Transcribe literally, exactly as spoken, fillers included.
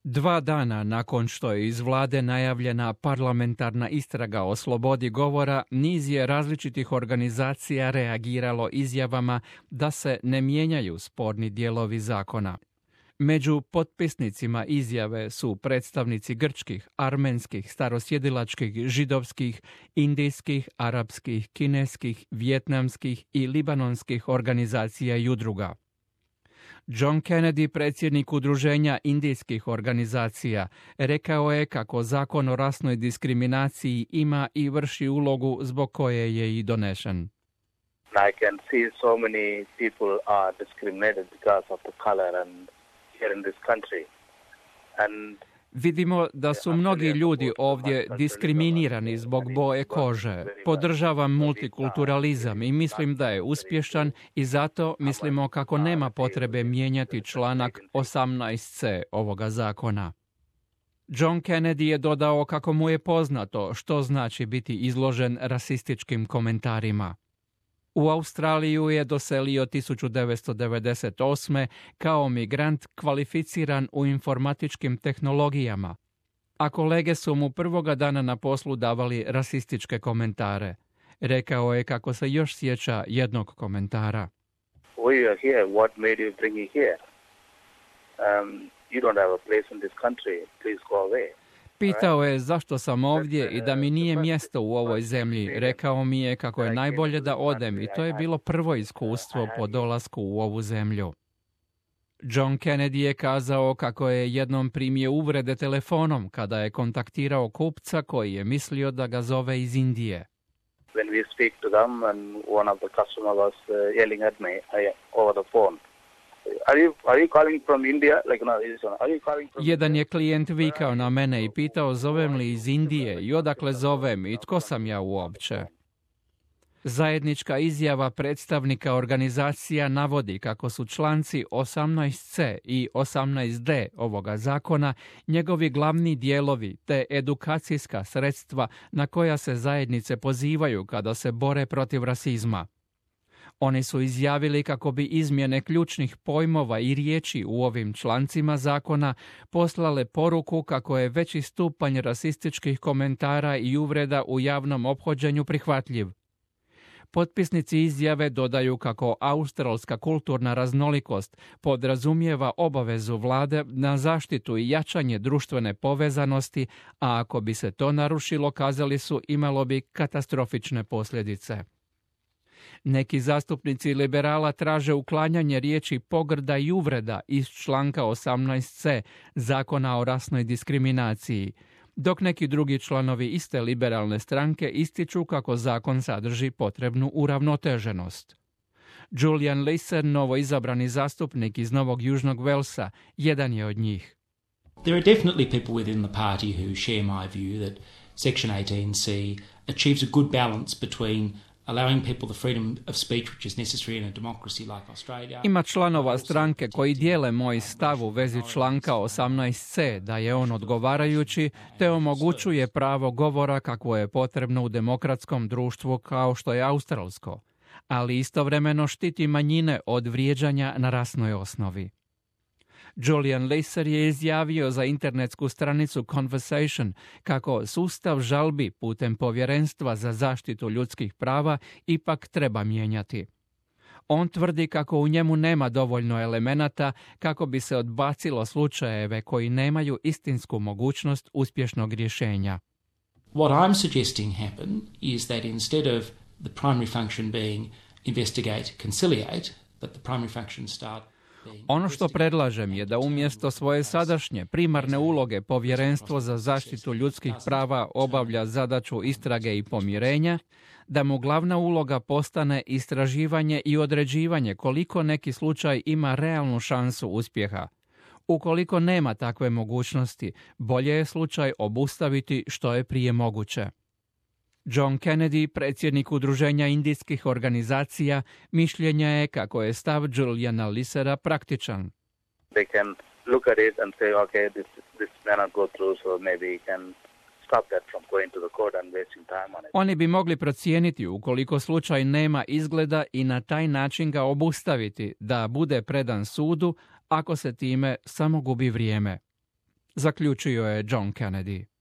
Dva dana nakon što je iz vlade najavljena parlamentarna istraga o slobodi govora, niz je različitih organizacija reagiralo izjavama da se ne mijenjaju sporni dijelovi zakona. Među potpisnicima izjave su predstavnici grčkih, armenskih, starosjedilačkih, židovskih, indijskih, arapskih, kineskih, vijetnamskih i libanonskih organizacija i udruga. John Kennedy, predsjednik udruženja indijskih organizacija, rekao je kako zakon o rasnoj diskriminaciji ima i vrši ulogu zbog koje je i donešen. I can see so many people are discriminated because of the color and here in this country. And Vidimo da su mnogi ljudi ovdje diskriminirani zbog boje kože. Podržavam multikulturalizam i mislim da je uspješan i zato mislimo kako nema potrebe mijenjati članak osamnaest ce ovoga zakona. John Kennedy je dodao kako mu je poznato što znači biti izložen rasističkim komentarima. U Australiju je doselio tisuću devetsto devedeset osme kao migrant kvalificiran u informatičkim tehnologijama, a kolege su mu prvoga dana na poslu davali rasističke komentare. Rekao je kako se još sjeća jednog komentara. We are here, what made you bring me here? Um, you don't have a place in this country, please go away. Pitao je zašto sam ovdje i da mi nije mjesto u ovoj zemlji. Rekao mi je kako je najbolje da odem i to je bilo prvo iskustvo po dolasku u ovu zemlju. John Kennedy je kazao kako je jednom primio uvrede telefonom kada je kontaktirao kupca koji je mislio da ga zove iz Indije. When we speak to them and one of the customer was uh, yelling at me uh, over the phone. Are you, are you calling from India? Like, no, are you calling from Jedan je klijent vikao na mene i pitao zovem li iz Indije i odakle zovem i tko sam ja uopće. Zajednička izjava predstavnika organizacija navodi kako su članci osamnaest ce i osamnaest de ovoga zakona njegovi glavni dijelovi te edukacijska sredstva na koja se zajednice pozivaju kada se bore protiv rasizma. Oni su izjavili kako bi izmjene ključnih pojmova i riječi u ovim člancima zakona poslale poruku kako je veći stupanj rasističkih komentara i uvreda u javnom ophođenju prihvatljiv. Potpisnici izjave dodaju kako australska kulturna raznolikost podrazumijeva obavezu vlade na zaštitu i jačanje društvene povezanosti, a ako bi se to narušilo, kazali su, imalo bi katastrofične posljedice. Neki zastupnici liberala traže uklanjanje riječi pogrda i uvreda iz članka osamnaest ce zakona o rasnoj diskriminaciji, dok neki drugi članovi iste liberalne stranke ističu kako zakon sadrži potrebnu uravnoteženost. Julian Leeser, novoizabrani zastupnik iz Novog Južnog Velsa, jedan je od njih. There are definitely people within the party who share my view that Section eighteen ce achieves a good balance between allowing people the freedom of speech which is necessary in a democracy like Australia. Ima članova stranke koji dijele moj stav u vezi članka osamnaest ce da je on odgovarajući te omogućuje pravo govora kakvo je potrebno u demokratskom društvu kao što je australsko, ali istovremeno štiti manjine od vrijeđanja na rasnoj osnovi. Julian Leeser je izjavio za internetsku stranicu Conversation kako sustav žalbi putem Povjerenstva za zaštitu ljudskih prava ipak treba mijenjati. On tvrdi kako u njemu nema dovoljno elemenata kako bi se odbacilo slučajeve koji nemaju istinsku mogućnost uspješnog rješenja. What I'm suggesting happen is that instead of the primary function being investigate, conciliate, that the primary function start. Ono što predlažem je da umjesto svoje sadašnje primarne uloge Povjerenstvo za zaštitu ljudskih prava obavlja zadaću istrage i pomirenja, da mu glavna uloga postane istraživanje i određivanje koliko neki slučaj ima realnu šansu uspjeha. Ukoliko nema takve mogućnosti, bolje je slučaj obustaviti što je prije moguće. John Kennedy, predsjednik udruženja indijskih organizacija, mišljenja je kako je stav Juliana Leesera praktičan. They can look at it and say, okay, this, this may not go through, so maybe we can stop that from going to the court and wasting time on it. Oni bi mogli procijeniti ukoliko slučaj nema izgleda i na taj način ga obustaviti, da bude predan sudu ako se time samo gubi vrijeme. zaključio je John Kennedy.